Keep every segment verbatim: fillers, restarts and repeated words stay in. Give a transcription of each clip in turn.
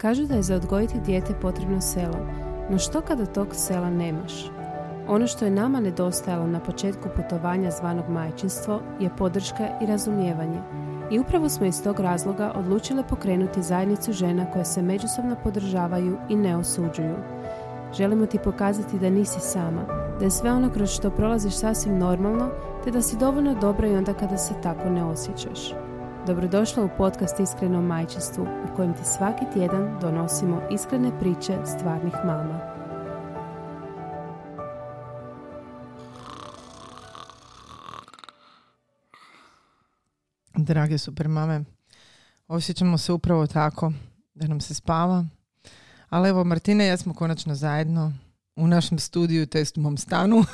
Kažu da je za odgojiti dijete potrebno selo, no što kada tog sela nemaš? Ono što je nama nedostajalo na početku putovanja zvanog majčinstvo je podrška i razumijevanje. I upravo smo iz tog razloga odlučile pokrenuti zajednicu žena koje se međusobno podržavaju i ne osuđuju. Želimo ti pokazati da nisi sama, da je sve ono kroz što prolaziš sasvim normalno, te da si dovoljno dobra i onda kada se tako ne osjećaš. Dobrodošla u podcast Iskreno majčinstvu, u kojem ti svaki tjedan donosimo iskrene priče stvarnih mama. Drage super mame, osjećamo se upravo tako, da nam se spava. Ali evo, Martina i ja smo konačno zajedno u našem studiju, to jest u mom stanu.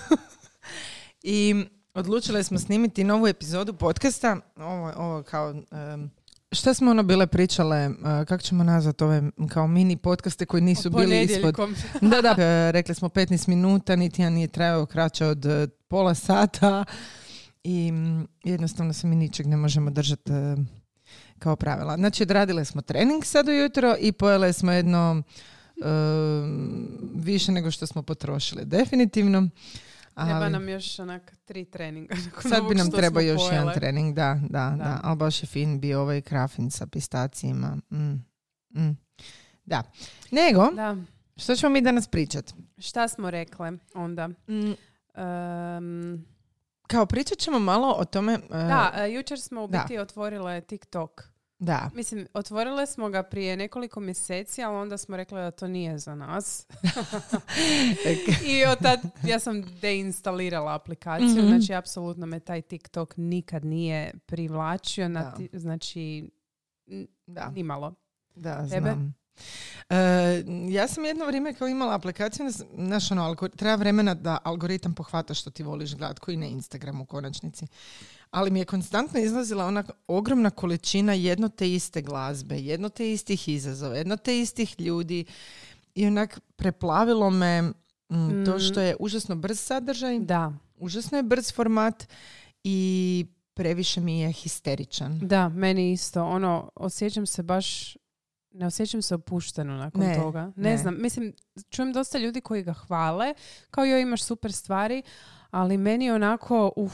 I odlučile smo snimiti novu epizodu podcasta. Ovo, ovo kao, um, šta smo ono bile pričale, uh, kako ćemo nazvati ove kao mini podcaste koji nisu bili ispod... Da, da, uh, rekli smo petnaest minuta, niti ja nije trajao kraće od uh, pola sata. I um, jednostavno se mi ničeg ne možemo držati uh, kao pravila. Znači, odradile smo trening sad ujutro i pojele smo jedno uh, više nego što smo potrošili. Definitivno. Ali, treba nam još onak tri treninga. Sad bi nam trebao još pojele. jedan trening, da, da, da, da. Ali baš je fin bio ovaj krafin sa pistacijima. Mm. Mm. Da. Nego, da. Što ćemo mi danas pričati? Šta smo rekle onda? Mm. Um, Kao pričat ćemo malo o tome... Uh, da, uh, jučer smo u biti da. otvorile TikTok. Da. Mislim, otvorile smo ga prije nekoliko mjeseci, ali onda smo rekli da to nije za nas. I od tad ja sam deinstalirala aplikaciju, mm-hmm. znači apsolutno me taj TikTok nikad nije privlačio, na ti, znači da. nimalo. Da, Tebe? znam. Uh, ja sam jedno vrijeme kao imala aplikaciju, znaš ono, algor- treba vremena da algoritam pohvata što ti voliš gledat, koji na Instagramu u konačnici. Ali mi je konstantno izlazila ona ogromna količina jedno te iste glazbe, jedno te istih izazova, jedno te istih ljudi i onak preplavilo me m, mm. to što je užasno brz sadržaj, da. užasno je brz format i previše mi je histeričan. Da, meni isto. Ono, osjećam se baš... Ne osjećam se opušteno nakon ne, toga. Ne, ne znam, mislim, čujem dosta ljudi koji ga hvale, kao joj imaš super stvari, ali meni onako, uf.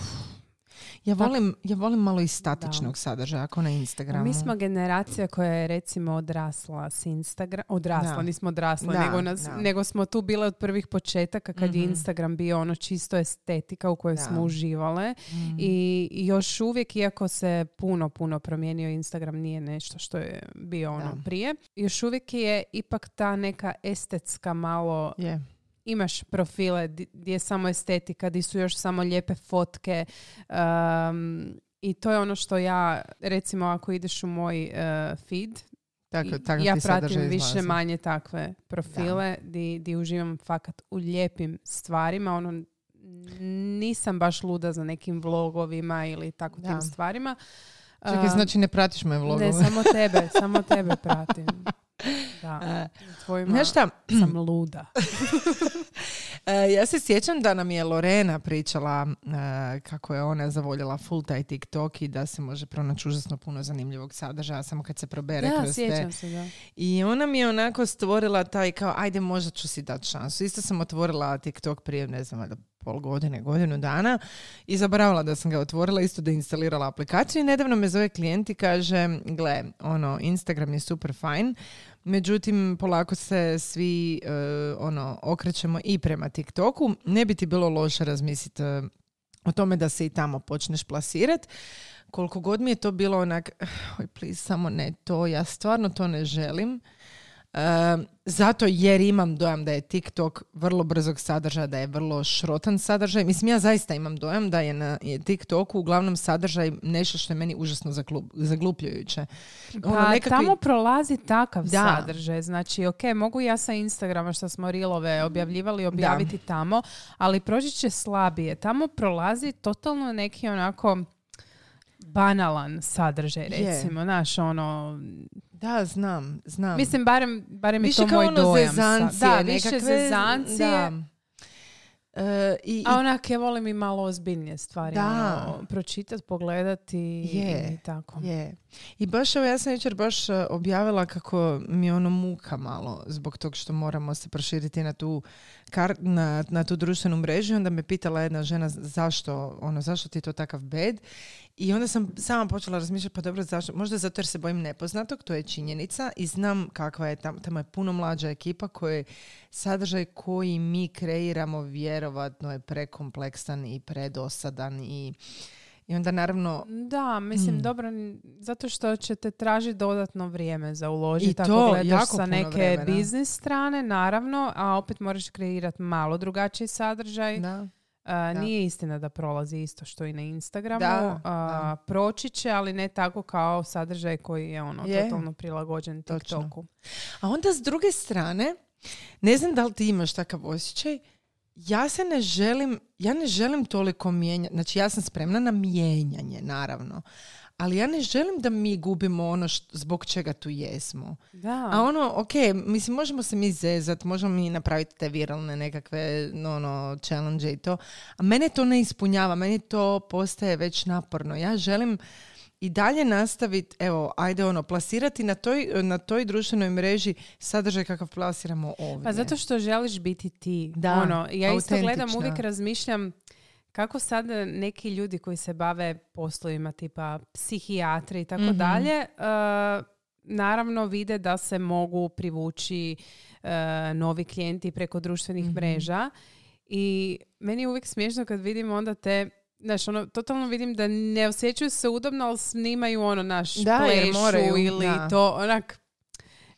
Ja volim, ja volim malo i statičnog da. sadržaja, ako na Instagramu. Mi smo generacija koja je recimo odrasla s Instagram, odrasla, da. nismo odrasla, da, nego, nas, da. nego smo tu bile od prvih početaka kad mm-hmm. je Instagram bio ono čisto estetika u kojoj da. smo uživale mm. i još uvijek, iako se puno, puno promijenio, Instagram nije nešto što je bio ono da. prije, još uvijek je ipak ta neka estetska malo... Yeah. Imaš profile gdje je samo estetika, gdje su još samo lijepe fotke um, i to je ono što ja, recimo ako ideš u moj uh, feed, tako, tako ja pratim više izlazi. manje takve profile gdje uživam fakat u lijepim stvarima. Ono, nisam baš luda za nekim vlogovima ili tako da. tim stvarima. Čekaj, uh, znači ne pratiš moje vlogove? Ne, samo tebe, samo tebe pratim. Da, tvojima znaš šta? sam luda. Ja se sjećam da nam je Lorena pričala uh, kako je ona zavoljela full taj TikTok i da se može pronaći užasno puno zanimljivog sadržaja samo kad se probere da, kroz sjećam te. Se, da. I ona mi je onako stvorila taj kao ajde možda ću si dati šansu. Isto sam otvorila TikTok prije ne znam da pol godine, godinu dana i zaboravila da sam ga otvorila, isto da instalirala aplikaciju i nedavno me zove klijent i kaže gle, ono, Instagram je super fajn, međutim polako se svi uh, ono, okrećemo i prema TikToku, ne bi ti bilo loše razmisliti uh, o tome da se i tamo počneš plasirati. Koliko god mi je to bilo onak, oj please, samo ne to, ja stvarno to ne želim. Uh, zato jer imam dojam da je TikTok vrlo brzog sadržaja, da je vrlo šrotan sadržaj. Mislim, ja zaista imam dojam da je na je TikToku uglavnom sadržaj nešto što je meni užasno zaglup, zaglupljujuće. Pa ono, nekakvi... tamo prolazi takav da. sadržaj. Znači, ok, mogu ja sa Instagrama što smo reelove objavljivali objaviti da. tamo, ali proći će slabije. Tamo prolazi totalno neki onako banalan sadržaj, recimo. Znaš, ono... Da, znam, znam. Mislim, barem, barem je više to moj ono dojam. Zezancije, da, nekakve, više zezancije. Da. Uh, i, A onak, ja volim i malo ozbiljnije stvari. Da. Ono, pročitati, pogledati je, i tako. Je. I baš evo, ja sam jučer baš objavila kako mi je ono muka malo zbog tog što moramo se proširiti na tu, kar, na, na tu društvenu mrežu. Onda me pitala jedna žena zašto, ono, zašto ti je to takav bed. I onda sam sama počela razmišljati, pa dobro, zašto? Možda zato jer se bojim nepoznatog, to je činjenica i znam kakva je tamo, tamo je puno mlađa ekipa koje sadržaj koji mi kreiramo vjerovatno je prekompleksan i predosadan i I onda naravno... Da, mislim, mm. dobro, zato što ćete tražiti dodatno vrijeme za uložiti. I to, ako gledaš jako sa puno neke vremena. biznis strane, naravno, a opet moraš kreirati malo drugačiji sadržaj. Da. Uh, nije istina da prolazi isto što i na Instagramu. Da, uh, da. Proći će, ali ne tako kao sadržaj koji je ono Je. totalno prilagođen TikToku. A onda s druge strane, ne znam da li ti imaš takav osjećaj, ja se ne želim, ja ne želim toliko mijenjati, znači ja sam spremna na mijenjanje, naravno, ali ja ne želim da mi gubimo ono što, zbog čega tu jesmo. Da. A ono, ok, mislim, možemo se mi zezat, možemo mi napraviti te viralne nekakve no, no, challenge i to, a mene to ne ispunjava, meni to postaje već naporno. Ja želim i dalje nastaviti, evo, ajde ono, plasirati na toj, na toj društvenoj mreži sadržaj kakav plasiramo ovdje. Pa zato što želiš biti ti. Da, ono, ja isto gledam, autentična. uvijek razmišljam kako sad neki ljudi koji se bave poslovima tipa psihijatri i tako mm-hmm. dalje, uh, naravno vide da se mogu privući uh, novi klijenti preko društvenih mm-hmm. mreža i meni je uvijek smiješno kad vidim onda te, znaš, ono, totalno vidim da ne osjećaju se udobno, ali snimaju ono naš da, plešu moraju, ili da. to, onak,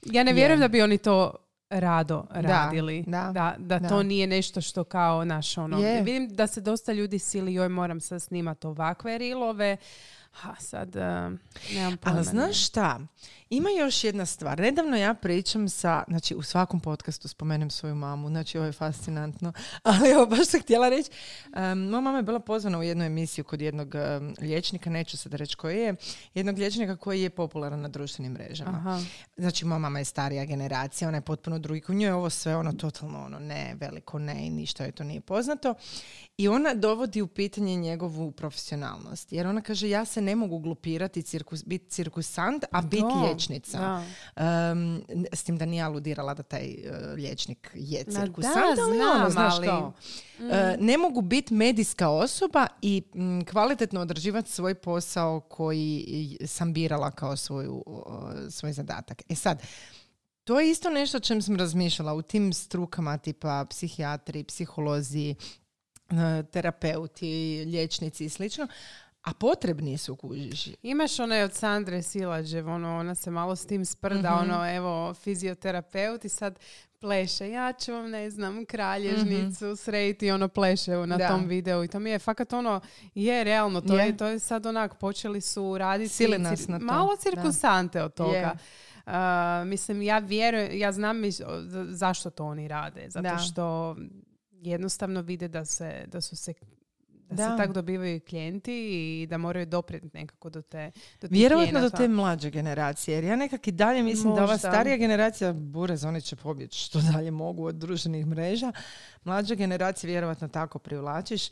ja ne vjerujem Je. da bi oni to rado radili. Da, da, da, da. to nije nešto što kao naš ono. Je. Vidim da se dosta ljudi sili, joj moram sad snimati ovakve rilove. Ha, sad uh, nemam pojma. Ali znaš šta? Ima još jedna stvar. Nedavno ja pričam sa, znači u svakom podcastu spomenem svoju mamu, znači ovo je fascinantno, ali evo baš sam htjela reći, um, moja mama je bila pozvana u jednu emisiju kod jednog um, liječnika, neću sad reći koji je, jednog liječnika koji je popularan na društvenim mrežama. Aha. Znači moja mama je starija generacija, ona je potpuno drugi, kod nje je ovo sve ono totalno ono ne, veliko ne i ništa joj to nije poznato. I ona dovodi u pitanje njegovu profesionalnost, jer ona kaže ja se ne mogu glupirati, cirkus, biti cirkusant, a biti liječnik. Um, s tim da nije aludirala da taj uh, liječnik je cirkusant, da, ali znam, ono, znaš ali... kao, Mm. uh, ne mogu biti medijska osoba i m, kvalitetno odrađivati svoj posao koji sam birala kao svoju, uh, svoj zadatak. E sad, to je isto nešto o čem sam razmišljala u tim strukama tipa psihijatri, psiholozi, uh, terapeuti, liječnici i slično. A potrebni su, kužiš. Imaš one od Sandre Silađev, ono, ona se malo s tim sprda, mm-hmm. ono, evo, fizioterapeut i sad pleše. Ja ću vam, ne znam, kralježnicu mm-hmm. srediti, ono, pleše na da. tom videu. I to mi je fakat ono, je realno, to, je. je, to je sad onak, počeli su raditi Sili nas cir- na to. malo cirkusante da. od toga. Yeah. Uh, mislim, ja vjerujem, ja znam zašto to oni rade. Zato da. što jednostavno vide da se, da su se Da, da se tako dobivaju klijenti i da moraju doprijeti nekako do te do vjerovatno do te mlađe generacije. Jer ja nekak i dalje mislim Možda. da ova starija generacija, burez, oni će pobjeći što dalje mogu od društvenih mreža. Mlađa generacija vjerovatno tako privlačiš.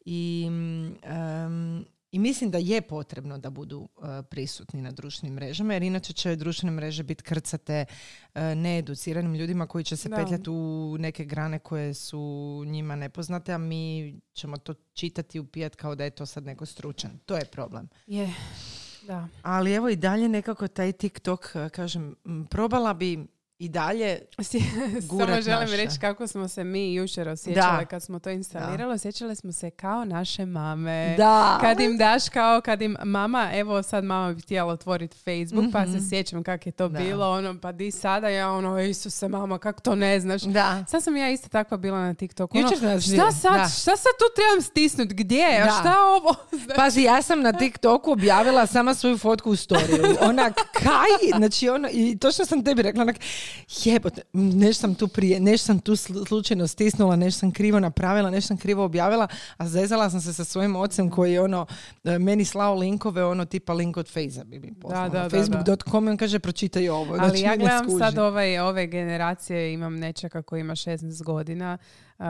I, um, i mislim da je potrebno da budu uh, prisutni na društvenim mrežama, jer inače će društvene mreže biti krcate uh, needuciranim ljudima koji će se da. petljati u neke grane koje su njima nepoznate, a mi ćemo to čitati i upijati kao da je to sad neko stručan. To je problem. Je, da. Ali evo i dalje nekako taj TikTok, kažem, probala bi i dalje gurat Samo želim naše. reći kako smo se mi jučer osjećale da. kad smo to instalirali. Da. Osjećale smo se kao naše mame. Da. Kad im daš kao, kad im mama, evo sad mama bi htjela otvoriti Facebook, mm-hmm. pa se sjećam kako je to da. bilo. Ono, pa di sada ja ono, Isuse mama, kako to ne znaš. Da. Sad sam ja isto takva bila na TikToku. Ono, šta, sad, šta sad tu trebam stisnuti? Gdje? A šta ovo? Znači... Pazi, ja sam na TikToku objavila sama svoju fotku u storiju. Onak, kaj? Znači, ono, i točno sam tebi rekla, onak, jebote, nešto sam tu prije, nešto sam tu slučajno stisnula, nešto sam krivo napravila, nešto sam krivo objavila, a zezala sam se sa svojim ocem koji je ono, meni slao linkove, ono tipa link od Fejza bi mi poslao. Da, da, facebook dot com i on kaže pročitaj ovo. Ali znači, ja gledam sad ovaj, ove generacije, imam nečaka koji ima šesnaest godina. Uh,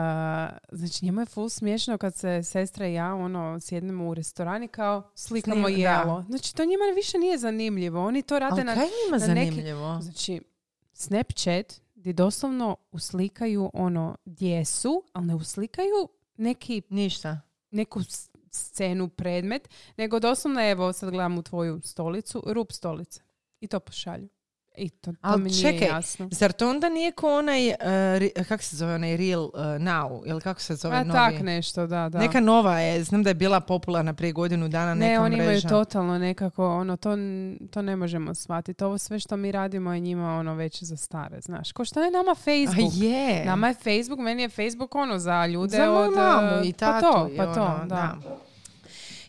znači njemu je full smiješno kad se sestra i ja ono sjednemo u restorani kao slikamo Snim, jelo. Da. Znači to njima više nije zanimljivo. Oni to rade ali na, kaj njima na zanimljivo? Neki, znači Snapchat gdje doslovno uslikaju ono gdje su, ali ne uslikaju neki ništa. Neku scenu, predmet, nego doslovno evo sad gledam u tvoju stolicu, rup stolice i to pošalju. I to, to ali mi nije čekaj, jasno. Zar to onda nije ko onaj, uh, kako se zove onaj Real uh, Now, ili kako se zove A, novi? tak nešto, da, da. Neka nova je, znam da je bila popularna prije godinu dana neka mreža. Ne, oni imaju totalno nekako, ono, to, to ne možemo shvatiti. Ovo sve što mi radimo je njima ono već za stare, znaš. Ko što je nama Facebook? A je. Nama je Facebook, meni je Facebook ono za ljude za od... mamu i tatu. Pa to, pa to, ono, da. da.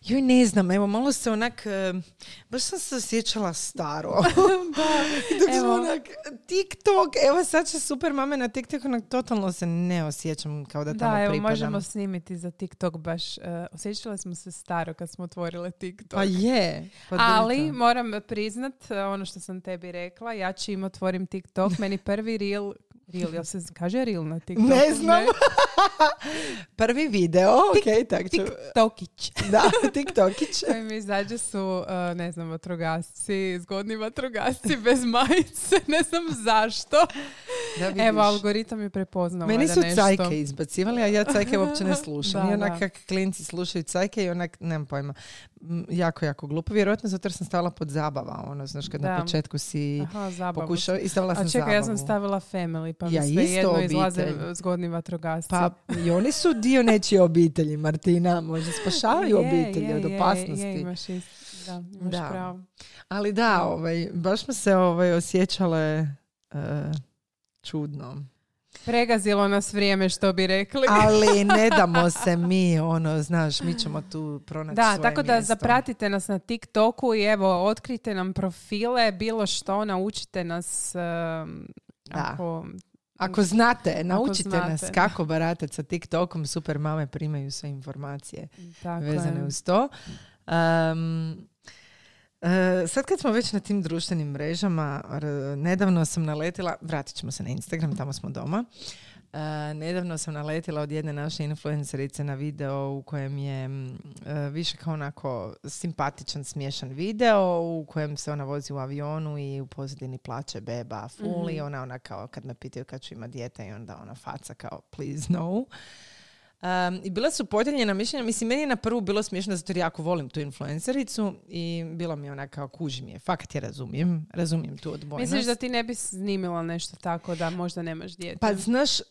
Joj, ne znam, evo, malo se onak, uh, baš sam se osjećala staro. Da, dok evo. Onak, TikTok, evo sad će super mame na TikTok, onak, totalno se ne osjećam kao da tamo da, evo, pripadam. možemo snimiti za TikTok baš. Uh, osjećala smo se staro kad smo otvorile TikTok. Pa je. Pa ali moram priznat, ono što sam tebi rekla, ja čim otvorim TikTok, meni prvi reel, reel, jel se kaže reel na TikToku? Ne znam. Ne? Prvi video, ok, tak ću. TikTokić. Da, TikTokić. Koji mi izađe su, uh, ne znam, vatrogasci, zgodni vatrogasci bez majice, ne znam zašto. Da, evo, algoritam je prepoznao. Meni su nešto. cajke izbacivali, a ja cajke uopće ne slušam. Da, I onak da. kak klinci slušaju cajke i onak, nemam pojma, jako, jako glupo. Vjerojatno zato jer sam stavila pod zabava, ono, znaš, kad da. Na početku si Aha, pokušao i stavila sam zabavu. A čekaj, ja sam stavila family, pa ja mi sve jedno obitelj. Izlaze zgodni vatrogasci. Pa i oni su dio nečije obitelji, Martina, možda spašavaju je, obitelji je, od opasnosti. Je, je, imaš ist, da, imaš da. pravo. Ali da, ovaj, baš smo se ovaj, osjećale uh, čudno. Pregazilo nas vrijeme, što bi rekli. Ali ne damo se mi, ono, znaš, mi ćemo tu pronaći da, svoje tako da mjesto. zapratite nas na TikToku i evo, otkrite nam profile, bilo što, naučite nas um, ako... Ako znate, naučite znate. nas kako baratati sa TikTokom, super mame primaju sve informacije tako vezane je. uz to. Um, Uh, sad kad smo već na tim društvenim mrežama, r- nedavno sam naletila, vratit ćemo se na Instagram, tamo smo doma, uh, nedavno sam naletila od jedne naše influencerice na video u kojem je uh, više kao onako simpatičan, smiješan video u kojem se ona vozi u avionu i u pozadini plače beba full mm-hmm. i ona, ona kao kad me pitaju kad ću imati dijete i onda ona faca kao please no. Um, I bila su podijeljena mišljenja. Mislim, meni je na prvu bilo smiješno zato jer jako volim tu influencericu i bilo mi ona kao kuži mi je. Fakat je razumijem. Razumijem tu odbojnost. Misliš da ti ne bi snimila nešto tako da možda nemaš dijete? Pa znaš, uh,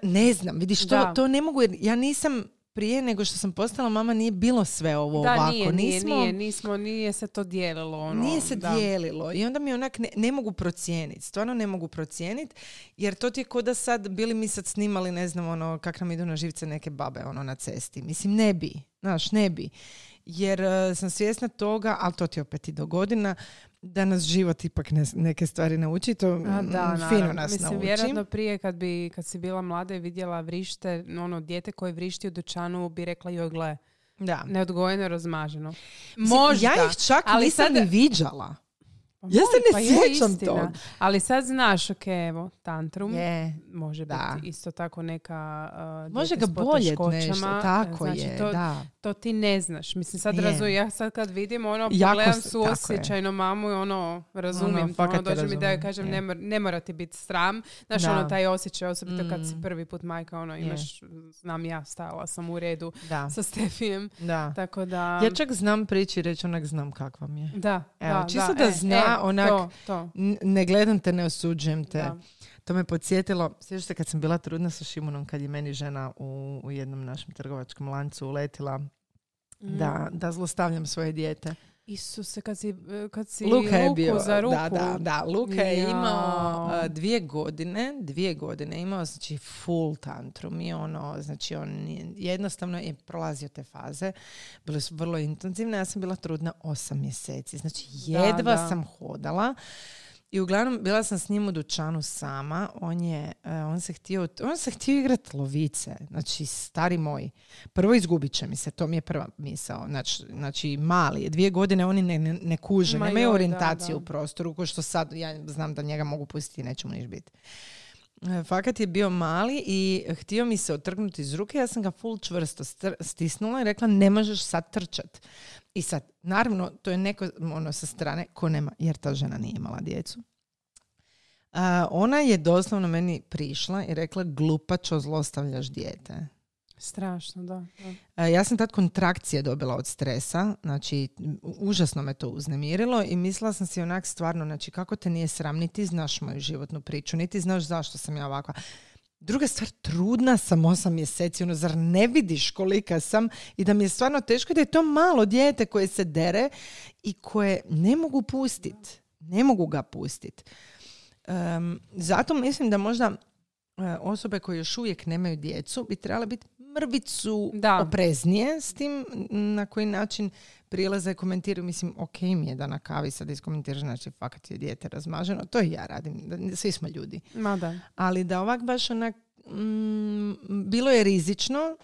ne znam, vidiš, to, to ne mogu jer ja nisam prije nego što sam postala mama nije bilo sve ovo da, ovako. Nije, nije, nismo, nije, nismo, nije se to dijelilo. Ono, nije se da. dijelilo i onda mi onak ne, ne mogu procijeniti. Stvarno ne mogu procijeniti jer to ti je ko da sad bili mi sad snimali, ne znam, ono, kak nam idu na živce neke babe ono, na cesti. Mislim, ne bi. Znaš, ne bi. Jer uh, sam svjesna toga, ali to ti opet i do godina, da nas život ipak ne, neke stvari nauči. To A, da, fino nas Mislim, nauči. vjerojatno prije kad, bi, kad si bila mlada i vidjela vrište, ono, dijete koje vrišti u dućanu bi rekla joj gle, da. neodgojeno, razmaženo. Mislim, Možda. Ja ih čak ali nisam sad... ni viđala. Pa ja se ne pa sjećam toga. Ali sad znaš, ok, evo, tantrum je, može da. biti isto tako neka uh, može ga bolje nešto, tako znači, je, to, da. To ti ne znaš. Mislim, sad razumim, ja sad kad vidim ono, jako pogledam suosjećajno mamu i ono, razumijem, ono, ono dođe mi da joj kažem, ne, mor, ne mora ti biti sram. Znaš, da. Ono, taj osjećaj, osobito mm. kad si prvi put majka, ono, imaš, je. Znam ja, stajala sam u redu da. Sa Stefijem. Da. Tako da... Ja čak znam prići i reći onak znam kakva mi je. Da, Evo, da, čisto da, da e, zna, e, onak, to, to. ne gledam te, ne osuđujem te. Da. To me podsjetilo, sjećaš se kad sam bila trudna sa Šimunom, kad je meni žena u, u jednom našem trgovačkom lancu uletila mm. da, da zlostavljam svoje dijete. Isuse, kad si, kad si Luka je Luku bio, za ruku. Da, da, da. Luka je ja. imao uh, dvije godine, dvije godine imao, znači full tantrum i ono, znači on jednostavno je prolazio te faze. Bile su vrlo intenzivne, ja sam bila trudna osam mjeseci, znači jedva da, da. sam hodala. I uglavnom, bila sam s njim u dućanu sama. On je, uh, on se htio, on se htio igrati lovice. Znači, stari moj. Prvo izgubit će mi se, to mi je prva misao. Znači, znači mali, dvije godine oni ne, ne, ne kuže, Ma nemaju joj, orijentaciju da, da. u prostoru, ko što sad, ja znam da njega mogu pustiti i neće mu niš biti. Fakat je bio mali i htio mi se otrgnuti iz ruke, ja sam ga full čvrsto str- stisnula i rekla ne možeš sad trčat. I sad, naravno, to je neko ono sa strane ko nema, jer ta žena nije imala djecu. Uh, ona je doslovno meni prišla i rekla glupačo, zlostavljaš dijete. Strašno, da. da. Uh, ja sam tad kontrakcije dobila od stresa, znači užasno me to uznemirilo i mislila sam si onak stvarno, znači kako te nije sram, niti znaš moju životnu priču, niti znaš zašto sam ja ovakva. Druga stvar, trudna sam osam mjeseci, ono, zar ne vidiš kolika sam i da mi je stvarno teško da je to malo dijete koje se dere i koje ne mogu pustiti. Ne mogu ga pustiti. Um, zato mislim da možda uh, osobe koje još uvijek nemaju djecu bi trebale biti mrvicu da. opreznije s tim na koji način prilaze i komentiraju. Mislim, ok mi je da na kavi sad iskomentiraš, znači fakat je dijete razmaženo. To i ja radim. Svi smo ljudi. Ma da. Ali da ovak baš onak mm, bilo je rizično.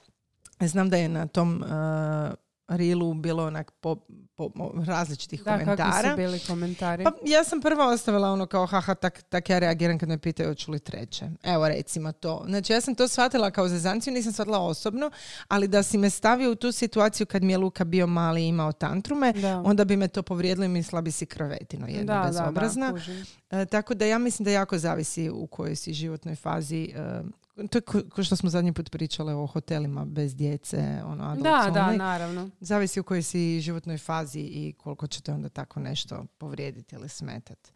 Znam da je na tom uh, reelu bilo onak po, po, različitih da, komentara. Da, kakvi su bili komentari? Pa ja sam prva ostavila ono kao haha, tak, tak ja reagiram kad me pitaju hoću li treće. Evo recimo to. Znači ja sam to shvatila kao zezanciju, nisam shvatila osobno, ali da si me stavio u tu situaciju kad mi je Luka bio mali i imao tantrume, da. Onda bi me to povrijedilo i mislila bi si krovetino jedno da, bezobrazna. Da, da, e, tako da ja mislim da jako zavisi u kojoj si životnoj fazi. E, to je ko, ko što smo zadnji put pričale o hotelima bez djece, ono, adult da, only. Da, naravno. Zavisi u kojoj si životnoj fazi i koliko ćete onda tako nešto povrijediti ili smetati.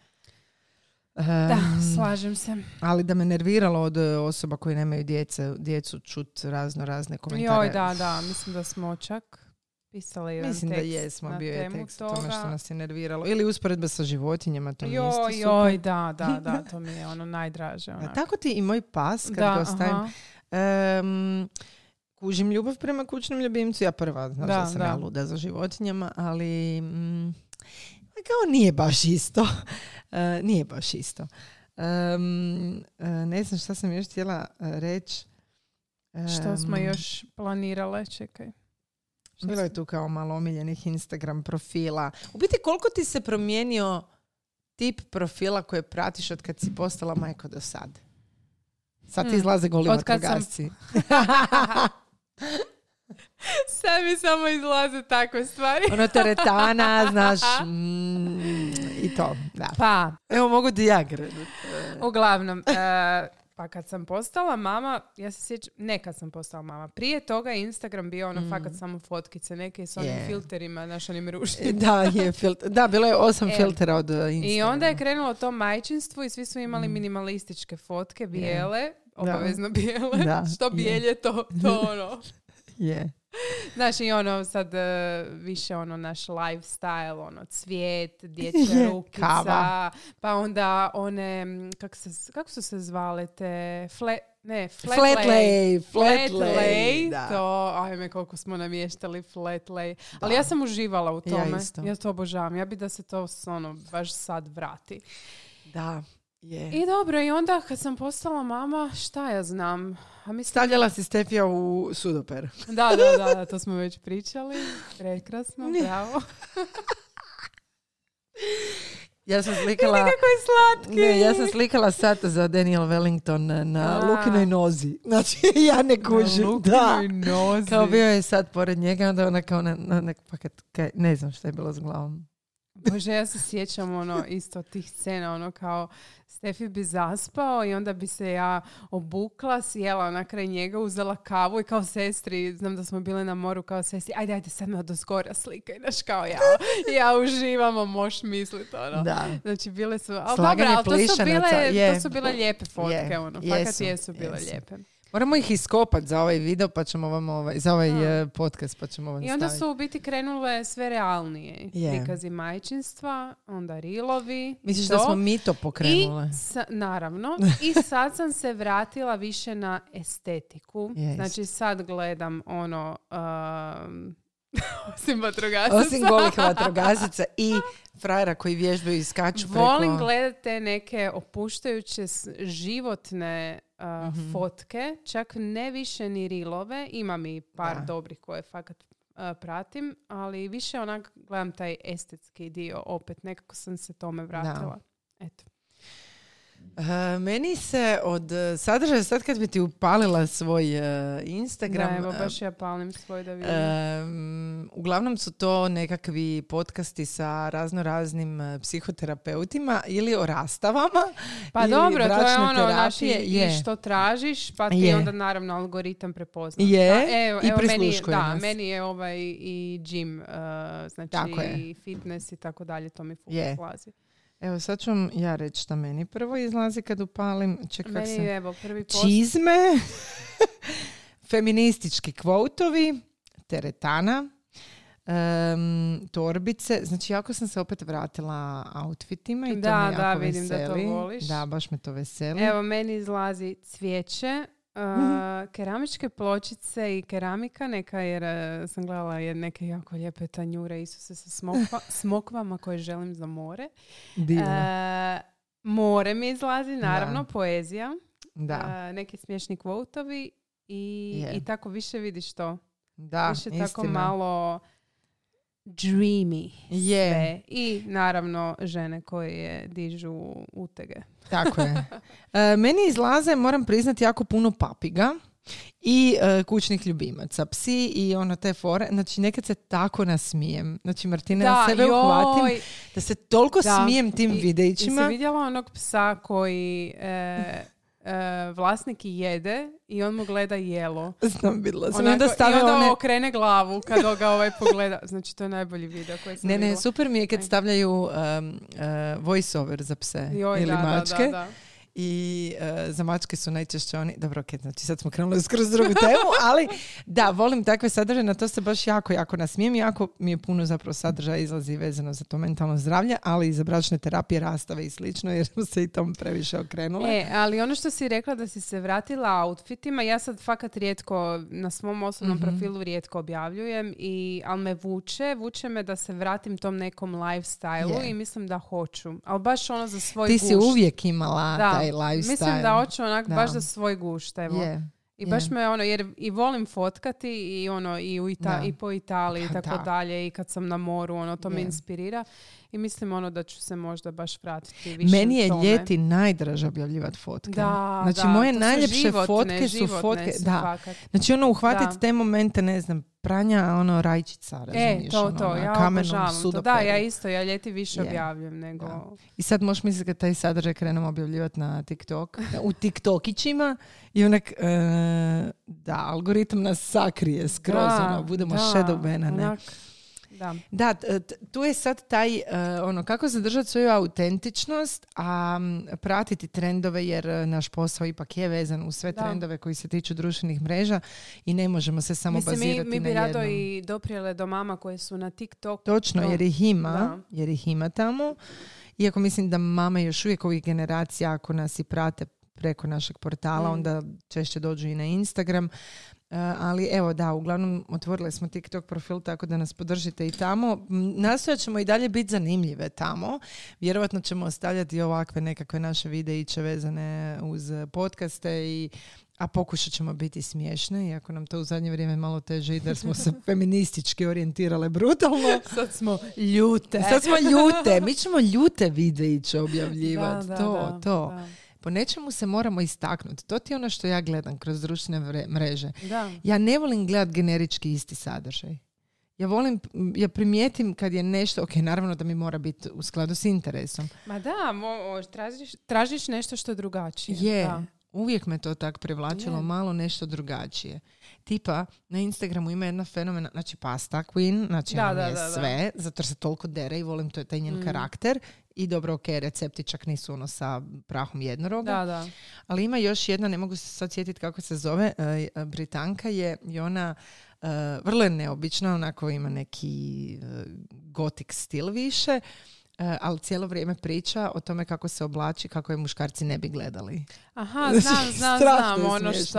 Um, da, slažem se. Ali da me nerviralo od osoba koji nemaju djece, djecu čut razno razne komentare. Joj, da, da, mislim da smo čak pisali jedan mislim tekst. Da jesmo, na bio je temu tekst toga. o tome što nas je nerviralo. Ili usporedba sa životinjama, to mi je isto super. Joj, da, da, da, to mi je ono najdraže. A tako ti i moj pas, kad da, ga ostavim, um, kužim ljubav prema kućnom ljubimcu. Ja prva, znaš da, da sam da. ja luda za životinjama, ali mm, kao nije baš isto. uh, nije baš isto. Um, uh, ne znam šta sam još htjela uh, reći. Um, što smo još planirale, čekaj. Što bilo je tu kao malo omiljenih Instagram profila. U biti koliko ti se promijenio tip profila koje pratiš od kad si postala majko do sad? Sad ti hmm. izlaze goli vatrogasci. Sam... Sad mi samo izlaze takve stvari. Ono teretana, znaš, mm, i to. Da. Pa. Evo mogu ti ja krenuti. Uglavnom, uh, pa kad sam postala mama, ja se sjećam, ne kad sam postala mama, prije toga je Instagram bio ono mm. fakat samo fotkice, neke s onim yeah. filterima, naš onim ružnim. Da, je filter, da, bilo je osam e, filtera od Instagrama. I onda je krenulo to majčinstvo i svi su imali mm. minimalističke fotke, bijele, yeah. obavezno bijele, da. Što bijelje yeah. to, to ono. Je. Znaš, i ono sad uh, više ono naš lifestyle, ono cvijet, dječja rukica, kava. Pa onda one, kak se, kako su se zvale te, fle, ne, flat, flat lay, lay, flat flat lay, lay da. To, ajme koliko smo namještali flat lay. Ali ja sam uživala u tome, ja, isto. ja to obožavam, ja bi da se to ono, baš sad vrati. Da. Yeah. I dobro, i onda kad sam postala mama, šta ja znam? A mislim... Stavljala si Stefija u sudoper. Da, da, da, da, to smo već pričali. Prekrasno, bravo. Ja sam slikala... Kako je slatki. Ne, ja sam slikala sat za Daniel Wellington na A. Lukinoj nozi. Znači, ja ne kužim. Na Lukinoj nozi. Kao bio je sad pored njega, onda ona kao na, na nek paket, kaj, ne znam što je bilo s glavom. Bože, ja se sjećam ono isto tih scena, ono kao Stefi bi zaspao i onda bi se ja obukla, sjela na kraj njega, uzela kavu i kao sestri, znam da smo bile na moru, kao sestri, ajde, ajde, sad me odozgora slikaj, znaš, kao ja, ja uživamo, moš misliti, ono. Da. Znači, bile su, ali dobro, ali to su bile, je. to su bile lijepe fotke, je. ono, fakat jesu, jesu bile jesu. lijepe. Moramo ih iskopati za ovaj video, pa ćemo vam ovaj, za ovaj uh, podcast, pa ćemo vam I onda staviti. su u biti krenule sve realnije. Yeah. Prikazi majčinstva, onda rilovi. Misliš da smo mi to pokrenule? I sa, naravno. I sad sam se vratila više na estetiku. Yes. Znači sad gledam ono... Um, Osim vatrogasaca. Osim golih vatrogasaca i frajera koji vježbaju i skaču preko... Volim gledati te neke opuštajuće životne uh, mm-hmm. fotke, čak ne više ni rilove, imam i par da. dobrih koje fakat uh, pratim, ali više onak gledam taj estetski dio, opet nekako sam se tome vratila. Da. Eto. Uh, meni se od sadržaja, sad kad bi ti upalila svoj uh, Instagram... Da, evo, baš ja palim svoj da vidim. Uh, uglavnom su to nekakvi podcasti sa razno raznim uh, psihoterapeutima ili o rastavama. Pa ili dobro, to je ono, znači, i što tražiš, pa ti je. Onda naravno algoritam prepozna. Je, da, evo, i evo, prisluškuje meni, nas. Da, meni je ovaj i gym, uh, znači i fitness i tako dalje, to mi full slazi. Evo, sad ću vam ja reći šta meni prvo izlazi kad upalim. Čekaj, meni se... je, evo, prvi post. Čizme, feministički kvotovi, teretana, um, torbice. Znači, jako sam se opet vratila outfitima i to da, me jako da, veseli. vidim da to voliš. Da, baš me to veseli. Evo, meni izlazi cvijeće, Uh, mm-hmm. keramičke pločice i keramika neka, jer uh, sam gledala je neke jako lijepe tanjure Isuse sa smokva, smokvama koje želim za more. Uh, more mi izlazi, naravno, da. Poezija, da. Uh, neki smiješni kvotovi i, yeah. i tako više vidiš to. Da, više istina. Tako malo dreamy yeah. sve. I naravno žene koje dižu utege. Tako je. E, meni izlaze, moram priznati, jako puno papiga i e, kućnih ljubimaca. Psi i ono te fore. Znači, nekad se tako nasmijem. Znači, Martina, da, ja sebe joj. uhvatim da se toliko da. smijem tim I, videićima. I si vidjela onog psa koji... E, Uh, vlasnik jede i on mu gleda jelo. Znam, vidjela sam. Onako, onda stavlja I onda one... okrene glavu kad ga ovaj pogleda. Znači, to je najbolji video koji sam Ne, ne, vidjela. super mi je kad stavljaju um, uh, voice over za pse Joj, ili da, mačke. Da, da, da. I uh, za mačke su najčešće oni... Dobro, ok, znači sad smo krenuli skroz drugu temu, ali da, volim takve sadržaje, na to se baš jako, jako nasmijem. Jako mi je puno zapravo sadržaja izlazi vezano za to mentalno zdravlje, ali i za bračne terapije, rastave i slično, jer smo se i tom previše okrenule. E, ali ono što si rekla da si se vratila outfitima, ja sad fakat rijetko, na svom osobnom mm-hmm. profilu rijetko objavljujem, i, ali me vuče, vuče me da se vratim tom nekom lifestyle-u yeah. i mislim da hoću. Ali baš ono za svoj Ti gušt. si uvijek imala da. taj lifestyle. Mislim da hoću onak da. baš za svoj gušt, evo. Yeah. I baš yeah. me ono, jer i volim fotkati i ono i, u Ita- i po Italiji i tako da. dalje, i kad sam na moru, ono to yeah. me inspirira i mislim ono da ću se možda baš vratiti više. Meni je tome. ljeti najdraže objavljivati fotke. Da, znači da, moje su najljepše životne, fotke su fotke, su da. fakat. Znači ono uhvatiti da. te momente, ne znam, pranja ono rajčica, razumiješ, e, to, to, ono, ja kamenom sudoperu. Da, ja isto, ja ljeti više yeah. objavljam nego... Da. I sad možeš misliti kad taj sadržaj krenemo objavljivati na TikTok, u TikTokićima i onak, uh, da, algoritam nas sakrije skroz, da, ono, budemo da, shadow bana, ne? Onak. Da. Da, tu je sad taj, uh, ono, kako zadržati svoju autentičnost, a um, pratiti trendove, jer uh, naš posao ipak je vezan u sve da. trendove koji se tiču društvenih mreža i ne možemo se samo Mislim, bazirati na jednom. Mi bi rado i doprijele do mama koje su na TikToku. Točno, jer ih ima, da. jer ih ima tamo. Iako mislim da mame još uvijek ovih generacija, ako nas i prate preko našeg portala, mm. onda češće dođu i na Instagram. Uh, ali evo da, uglavnom otvorili smo TikTok profil, tako da nas podržite i tamo. Nastojat ćemo i dalje biti zanimljive tamo. Vjerovatno ćemo ostavljati ovakve nekakve naše videiće vezane uz podcaste, i, a pokušat ćemo biti smiješne, iako nam to u zadnje vrijeme malo teže ide jer smo se feministički orijentirale brutalno. Sad smo ljute. Sad smo ljute. Mi ćemo ljute videiće objavljivati. Da, da, to, da, to. Da. Po nečemu se moramo istaknuti. To ti je ono što ja gledam kroz društvene mreže. Da. Ja ne volim gledati generički isti sadržaj. Ja volim, ja primijetim kad je nešto, ok, naravno da mi mora biti u skladu s interesom. Ma da, mo, tražiš, tražiš nešto što je drugačije. Je, da. Uvijek me to tak privlačilo, je. Malo nešto drugačije. Tipa, na Instagramu ima jedna fenomena, znači Pasta Queen, znači da, ona da, je da, sve, da. zato se toliko dere i volim, to je taj njen mm. karakter. I dobro, ok, recepti čak nisu ono sa prahom jednoroga. Da, da. Ali ima još jedna, ne mogu se sad sjetiti kako se zove, uh, Britanka je i ona uh, vrlo je neobična, onako ima neki uh, gotik stil više. ali cijelo vrijeme priča o tome kako se oblači, kako je muškarci ne bi gledali. Aha, znam, znam, znam, ono što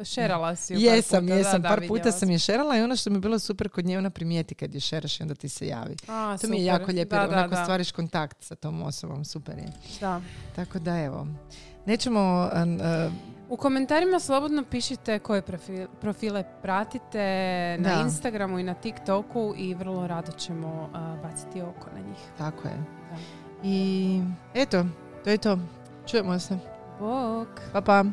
šerala si u jesam, par puta. Jesam, da, par da, puta sam je šerala i ono što mi je bilo super kod nje, ona primijeti kad je šeraš i onda ti se javi. A, to super. mi je jako lijepo, da, jer da, onako da. stvariš kontakt sa tom osobom, super je. Da. Tako da evo, nećemo... Uh, U komentarima slobodno pišite koje profile, profile pratite na da. Instagramu i na TikToku i vrlo rado ćemo uh, baciti oko na njih. Tako je. Da. I eto, to je to. Čujemo se. Bok! Pa pa!